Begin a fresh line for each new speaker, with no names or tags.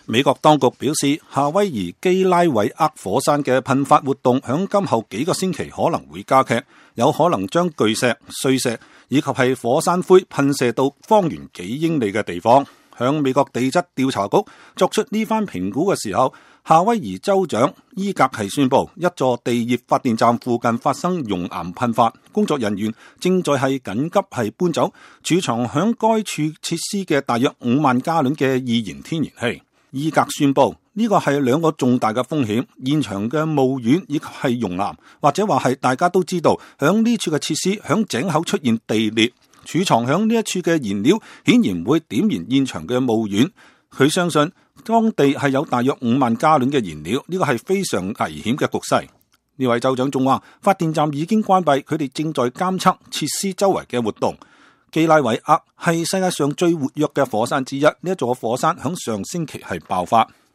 美國當局表示，夏威夷基拉韋厄火山嘅噴發活動響今後幾個星期可能會加劇，有可能將巨石、碎石以及係火山灰噴射到方圓幾英里嘅地方。響美國地質調查局作出呢番評估嘅時候，夏威夷州長伊格係宣布，一座地熱發電站附近發生熔岩噴發，工作人員正在係緊急係搬走儲藏響該處設施嘅大約5萬加侖嘅易燃天然氣。伊格宣布呢個係兩個重大嘅風險，現場嘅墓園以及係熔岩，或者話係大家都知道，響呢處嘅設施響井口出現地裂，儲藏響呢一處嘅燃料顯然會點燃現場嘅墓園。佢相信當地係有大約5萬加侖嘅燃料，呢個係非常危險嘅局勢。呢位州長仲話，發電站已經關閉，佢哋正在監測設施周圍嘅活動。基拉韋厄係世界上最活躍嘅火山之一，呢一座火山響上星期係爆發。